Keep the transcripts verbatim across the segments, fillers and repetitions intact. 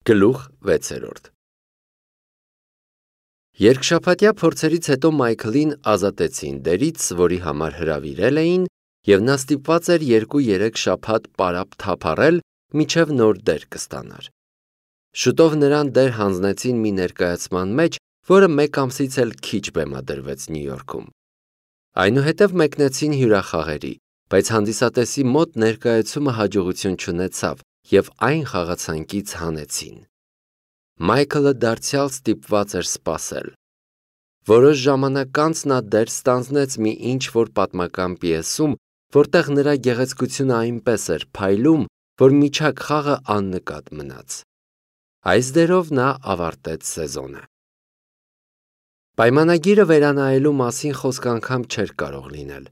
Գլուխ վեցերորդ Երկշաբաթյա փորձերից հետո Մայքլին ազատեցին դերից, որի համար հրավիրել էին, և նա ստիպված էր երկու-երեք շաբաթ պարապ թափառել, մինչև նոր դեր կստանար։ Շուտով նրան դեր հանձնեցին մի ներկայացման մեջ, որը մեկ ամսից էլ քիչ բեմադրվեց Նյու Յորքում։ Այնուհետև մեկնեցին հյուրախաղերի, բայց հանդիսատեսի մոտ ներկայացումը հաջողություն չունեցավ, և այն խաղացանկից հանեցին։ Մայքլը դարձյալ ստիպված էր սպասել։ Որոշ ժամանակ անց նա դեր ստանձնեց մի ինչ-որ պատմական պիեսում, որտեղ նրա գեղեցկությունը այնպես էր փայլում, որ միջակ խաղը աննկատ մնաց։ Այս դերով նա ավարտեց սեզոնը։ Պայմանագիրը վերանայելու մասին խոսք անգամ չէր կարող լինել։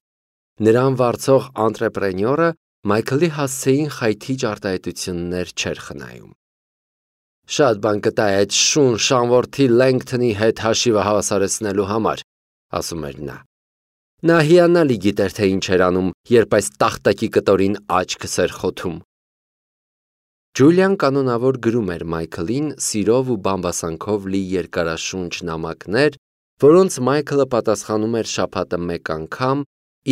Նրան վարձող անտրեպրենյորը Մայքլի հասցեին խայթիչ արտահայտություններ չէր խնայում։ Շատ բան կտա այդ շուն շանվորդի Լենգթոնի հետ հաշիվը հավասարեցնելու համար, ասում էր նա։ Նա հիանալի գիտեր, թե ինչ էր անում, երբ այս տախտակի կտորին աչքս էր խոթում։ Ջուլիան կանոնավոր գրում էր Մայքլին սիրով ու բամբասանքով լի երկարաշունչ նամակներ, որոնց Մայքլը պատասխանում էր շաբաթը մեկ անգամ,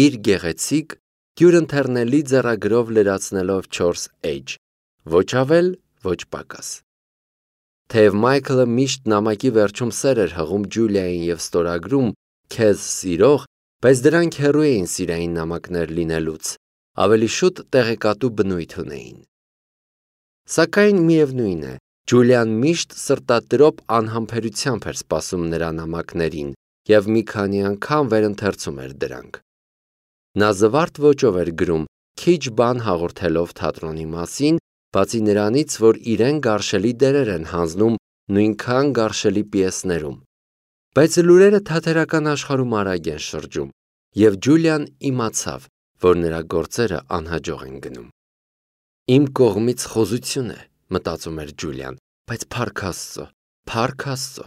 իր գեղեցիկ, դյուրընթեռնելի ձեռագրով լրացնելով չորս էջ, ոչ ավել, ոչ պակաս։ Թեև Մայքլը միշտ նամակի վերջում սեր էր հղում Ջուլիային և ստորագրում «Քեզ սիրող», բայց դրանք հեռու էին սիրային նամակներ լինելուց, ավելի շուտ տեղեկատու բնույթ ունեին։ Սակայն միևնույն է, Ջուլիան միշտ սրտատրոփ անհամբերությամբ էր սպասում նրա նամակներին և մի քանի անգամ վերընթերցում էր դրանք։ Նա զվարթ ոճով էր գրում, քիչ բան հաղորդելով թատրոնի մասին, բացի նրանից, որ իրեն գարշելի դերեր են հանձնում նույնքան գարշելի պիեսներում։ Բայց լուրերը թատերական աշխարհում արագ են շրջում, և Ջուլիան իմացավ, որ նրա գործերը անհաջող են գնում։ Իմ կողմից խոզություն է, մտածում էր Ջուլիան, բայց փառք Աստծո, փառք Աստծո։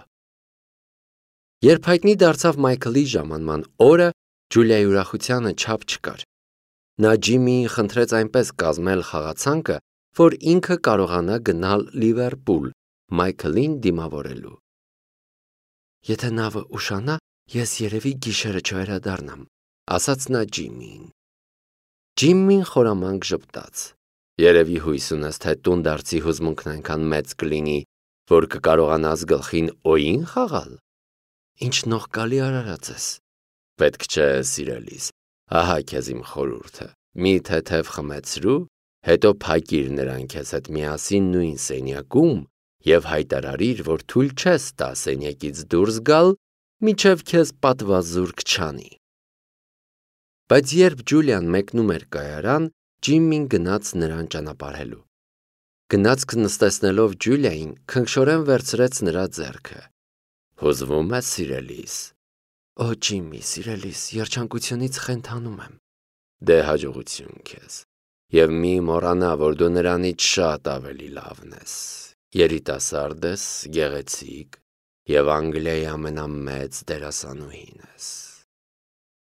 Երբ հայտնի դարձավ Մայքլի ժամանման օրը, Ջուլիայի ուրախությանը չափ չկար։ Նա Ջիմմիին խնդրեց այնպես կազմել խաղացանկը, որ ինքը կարողանա գնալ Լիվերպուլ Մայքլին դիմավորելու։ Եթե նավը ուշանա, ես երևի գիշերը չվերադառնամ, ասաց նա Ջիմմիին։ Ջիմմին խորամանկ ժպտաց։ Երևի հույս ունես, թե տունդարձի հուզմունքն այնքան մեծ կլինի, որ կկարողանաս գլխին օին խաղալ։ Ինչ նողկալի արարած ես։ Պետք չէ, սիրելիս, ահա քեզ իմ խորհուրդը։ Մի թեթև խմեցրու, հետո փակիր նրան քեզ հետ միասին նույն սենյակում և հայտարարիր, որ թույլ չես տա սենյակից դուրս գալ, մինչև քեզ պատվազուրկ չանի։ Բայց երբ Ջուլիան մեկնում էր կայարան, Ջիմմին գնաց նրան ճանապարհելու։ Գնացք նստեցնելով Ջուլիային, քնքշորեն վերցրեց նրա ձեռքը։ Հուզվում ես, սիրելիս։ Օ, Ջիմմի, սիրելիս, երջանկությունից խենթանում եմ։ Դե հաջողություն քեզ։ Եվ մի մոռանա, որ դու նրանից շատ ավելի լավն ես։ Երիտասարդ ես, գեղեցիկ և Անգլիայի ամենամեծ դերասանուհին ես։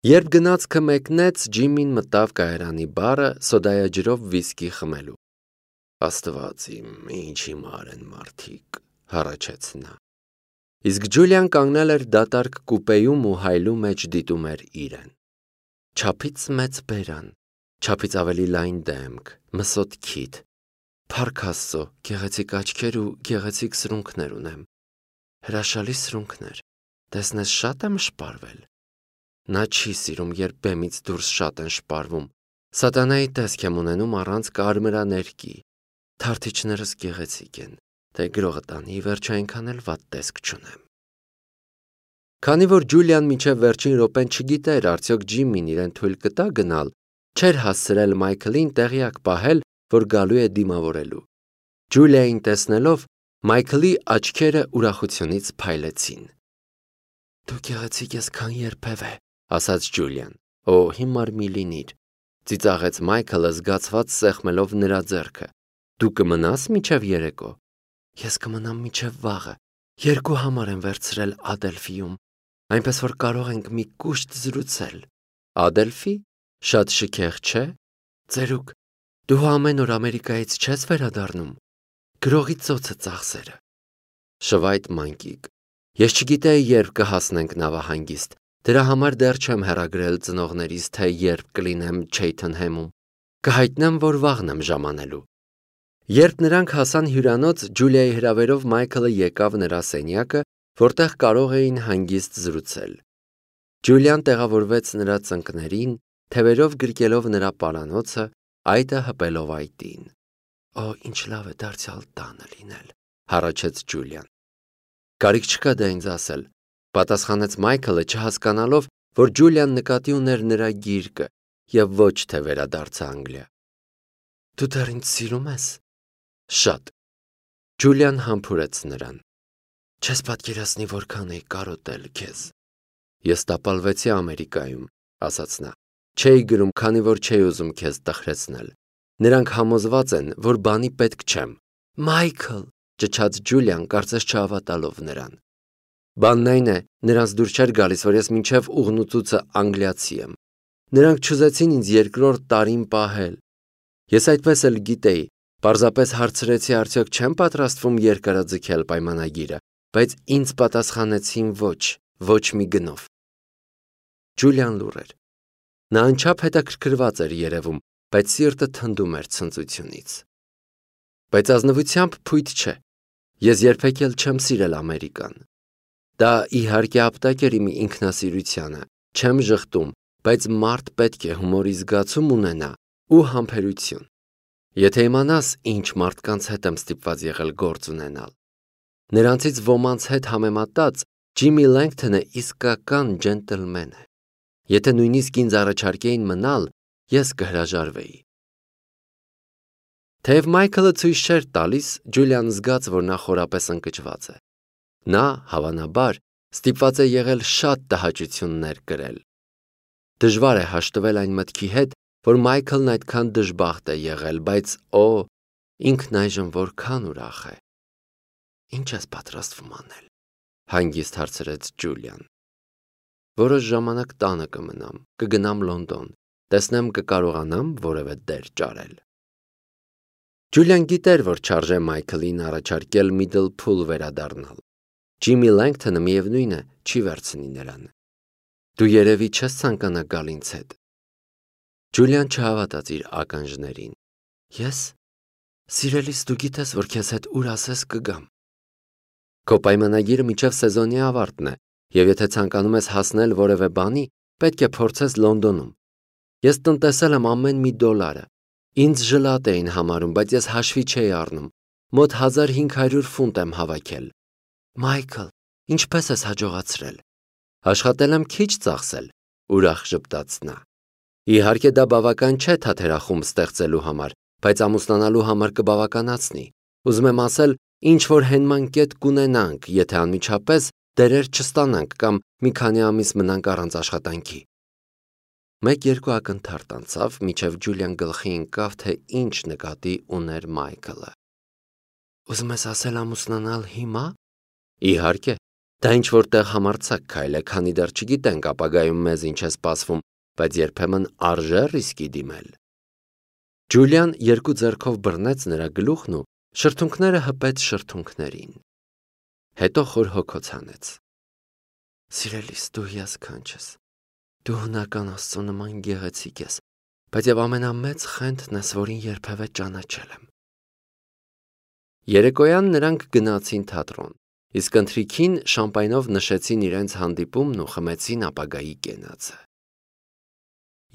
Երբ գնացքը մեկնեց, Ջիմմին մտավ կայարանի բարը սոդայաջրով վիսկի խմելու։ Աստված իմ, ինչ հիմար են մարդիկ, հառաչեց նա։ Իսկ Ջուլիան կանգնել էր դատարկ կուպեում ու հայլու մեջ դիտում էր իրեն։ Չափից մեծ բերան, չափից ավելի լայն դեմք, մսոտ քիթ, փառք Աստծո, գեղեցիկ աչքեր ու գեղեցիկ սրունքներ ունեմ։ Հրաշալի սրունքներ, տեսնես շատ եմ շպարվել։ Նա չի սիրում, երբ բեմից դուրս շատ են շպարվում։ Սատանայի տեսք եմ ունենում առանց կարմրաներկի։ Թարթիչներս գեղեցիկ են, թե գրողը տանի, վերջը այնքան էլ վատ տեսք չունեմ։ Քանի որ Ջուլիան մինչև վերջին րոպեն չգիտեր արդյոք Ջիմմին իրեն թույլ կտա գնալ, չէր հասցրել Մայքլին տեղյակ պահել, որ գալու է դիմավորելու։ Ջուլիային տեսնելով, Մայքլի աչքերը ուրախությունից փայլեցին։ Դու գեղեցիկ ես, քան երբևէ, ասաց Ջուլիան։ Օ, հիմար մի լինիր, ծիծաղեց Մայքլը զգացված սեղմելով նրա ձեռքը։ Դու կմնաս մինչև երեկո։ Ես կմնամ մինչև վաղը։ Երկու համար եմ վերցրել Ադելֆիում, այնպես որ կարող ենք մի կուշտ զրուցել։ Ադելֆի։ Շատ շքեղ չէ։ Ծերուկ, դու ամեն օր Ամերիկայից չես վերադառնում։ Գրողի ծոցը ծախսերը։ Շվայտ մանկիկ։ Ես չգիտեի երբ կհասնենք նավահանգիստ, դրա համար դեռ չեմ հեռագրել ծնողներիս, թե երբ կլինեմ Չեյթընհեմում, կհայտնեմ, որ վաղն եմ ժամանելու։ Երբ նրանք հասան հյուրանոց, Ջուլիայի հրավերով Մայքլը եկավ նրա սենյակը, որտեղ կարող էին հանգիստ զրուցել։ Ջուլիան տեղավորվեց նրա ծնկներին, թևերով գրկելով նրա պարանոցը, այտը հպելով այտին։ Օ, ինչ լավ է դարձյալ տանը լինել, հառաչեց Ջուլիան։ Կարիք չկա դա ինձ ասել, պատասխանեց Մայքլը, չհասկանալով, որ Ջուլիան նկատի ուներ նրա գիրկը և ոչ թե վերադարձը Անգլիա։ Դու դեռ ինձ սիրում ես։ Շատ։ Ջուլիան համբուրեց նրան։ Չես պատկերացնի, որքան էի կարոտել քեզ։ Ես տապալվեցի Ամերիկայում, ասաց նա։ Չէի գրում, քանի որ չէի ուզում քեզ տխրեցնել։ Նրանք համոզված են, որ բանի պետք չեմ։ Մայքլ, ճչաց Ջուլիան, կարծես չհավատալով նրան։ Բանն այն է, նրանց դուր չէր գալիս, որ ես մինչև ուղնուցուցը անգլիացի եմ։ Նրանք չուզեցին ինձ երկրորդ տարին պահել։ Ես այդպես էլ գիտեի, պարզապես հարցրեցի, արդյոք չեմ պատրաստվում երկարաձգել պայմանագիրը, բայց ինձ պատասխանեցին ոչ, ոչ մի գնով։ Ջուլիան լուռ էր։ Նա անչափ հետաքրքրված էր երևում, բայց սիրտը թնդում էր ցնծությունից։ Բայց ազնվությամբ փույթ չէ։ Ես երբեք էլ չեմ սիրել Ամերիկան։ Դա իհարկե ապտակ էր իմ ինքնասիրությանը, չեմ ժխտում, բայց մարդ պետք է հումորի զգացում ունենա ու համբերություն։ Եթե իմանաս, ինչ մարդկանց հետ եմ ստիպված եղել գործ ունենալ։ Նրանցից ոմանց հետ համեմատած Ջիմի Լենգթոնը իսկական ջենտլմեն է։ Եթե նույնիսկ ինձ առաջարկեին մնալ, ես կհրաժարվեի։ Թեև Մայքլը ցույց չէր տալիս, Ջուլիան զգաց, որ նա խորապես ընկճված է։ Նա, հավանաբար, ստիպված է եղել շատ տհաճություններ կրել։ Դժվար է հաշտվել այն մտքի հետ, որ Մայքլն այդքան դժբախտ է եղել, բայց օ, ինքն այժմ որքան ուրախ է։ Ինչ ես պատրաստվում անել, հանգիստ հարցրեց Ջուլիան։ Որոշ ժամանակ տանը կմնամ, կգնամ Լոնդոն, տեսնեմ կկարողանամ որևէ դեր ճարել։ Ջուլիան գիտեր, որ չարժե Մայքլին առաջարկել Միդլփուլ վերադառնալ։ Ջիմի Լենգթոնը միևնույն է, չի վերցնի նրան։ Դու երևի չես ցանկանա գալ ինձ հետ։ Ջուլիան չհավատաց իր ականջներին։ Ես։ Սիրելիս, դու գիտես, որ քեզ հետ ուր ասես կգամ։ Քո պայմանագիրը մինչև սեզոնի ավարտն է, եւ եթե ցանկանում ես հասնել որևէ բանի, պետք է փորձես Լոնդոնում։ Ես տնտեսել եմ ամեն մի դոլարը։ Ինձ ժլատ էին համարում, բայց ես հաշվի չէի առնում։ Մոտ հազար հինգ հարյուր ֆունտ եմ հավաքել։ Մայքլ, ինչպես ես հաջողացրել։ Աշխատել եմ քիչ ծախսել, ուրախ ժպտաց նա։ Իհարկե դա բավական չէ թաթերախումբ ստեղծելու համար, բայց ամուսնանալու համար կբավականացնի։ Ուզում եմ ասել, ինչ որ հենման կետ կունենանք, եթե անմիջապես դերեր չստանանք կամ մի քանի ամիս մնանք առանց աշխատանքի։ Մեկ-երկու ակնթարթ անցավ, մինչև Ջուլիան գլխի ընկավ, թե ինչ նկատի ուներ Մայքլը։ Ուզում ես ասել ամուսնանալ հիմա։ Իհարկե, դա ինչ որտեղ համարձակ քայլ է, քանի դեռ չգիտենք ապագայում մեզ ինչ է սպասվում, բայց երբեմն արժե ռիսկի դիմել։ Ջուլիան երկու ձեռքով բռնեց նրա գլուխն ու շրթունքները հպեց շրթունքներին։ Հետո խոր հոգոց հանեց։ Սիրելիս, դու հիասքանչ ես։ Դու հնական Աստծո նման գեղեցիկ ես, բայց եւ ամենամեծ խենթն ես, որին երբևէ ճանաչել եմ։ Երեկոյան նրանք գնացին թատրոն, իսկ ընթրիքին շամպայնով նշեցին իրենց հանդիպումն ու խմեցին ապագայի կենացը։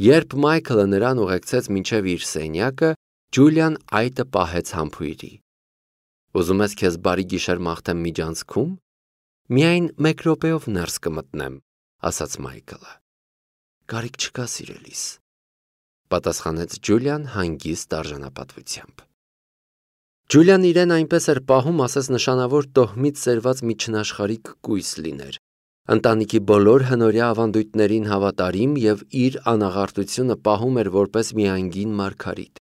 Երբ Մայքլը նրան ուղեկցեց մինչև իր սենյակը, Ջուլիան այտը պահեց համբույրի։ Ուզում ես քեզ բարի գիշեր մաղթեմ միջանցքում։ Միայն մեկ րոպեով ներս կմտնեմ, ասաց Մայքլը։ Կարիք չկա, սիրելիս, պատասխանեց Ջուլիան հանգիստ արժանապատվությամբ։ Ջուլիան իրեն այնպես էր պահում, ասես նշանավոր տոհմից սերված մի չնաշխարհիկ կույս լիներ։ Ընտանիքի բոլոր հնորյա ավանդույթներին հավատարիմ եւ իր անաղարտությունը պահում էր որպես մի անգին մարգարիտ։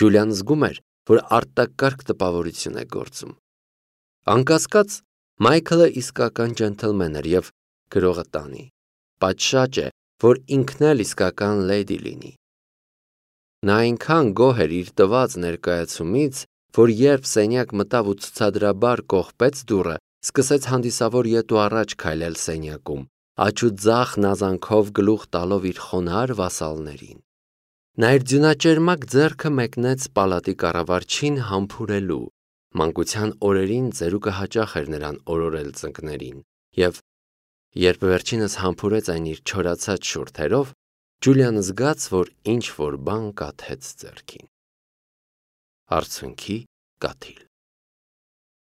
Ջուլիան զգում էր, որ արտակարգ տպավորություն է գործում։ Անկասկած, Մայքլը իսկական ջենթլմեն էր եւ գրողը տանի։ Պատշաճ է, որ ինքն էլ իսկական լեդի լինի։ Նա այնքան գոհ էր իր տված ներկայացումից, որ երբ սենյակ մտավ ու ցուցադրաբար կողպեց դուռը, սկսեց հանդիսավոր ետ ու առաջ քայլել սենյակում, աջ ու ձախ նազանքով գլուխ տալով իր խոնարհ վասալներին։ Նա իր ձյունաճերմակ ձեռքը մեկնեց պալատի կառավարչին համբուրելու։ Մանկության օրերին ծերուկը հաճախ էր նրան օրորել ծնկներին, և երբ վերջինս համբուրեց այն իր չորացած շուրթերով, Ջուլիան զգաց, որ ինչ-որ բան կաթեց ձեռքին։ Արցունքի կաթիլ։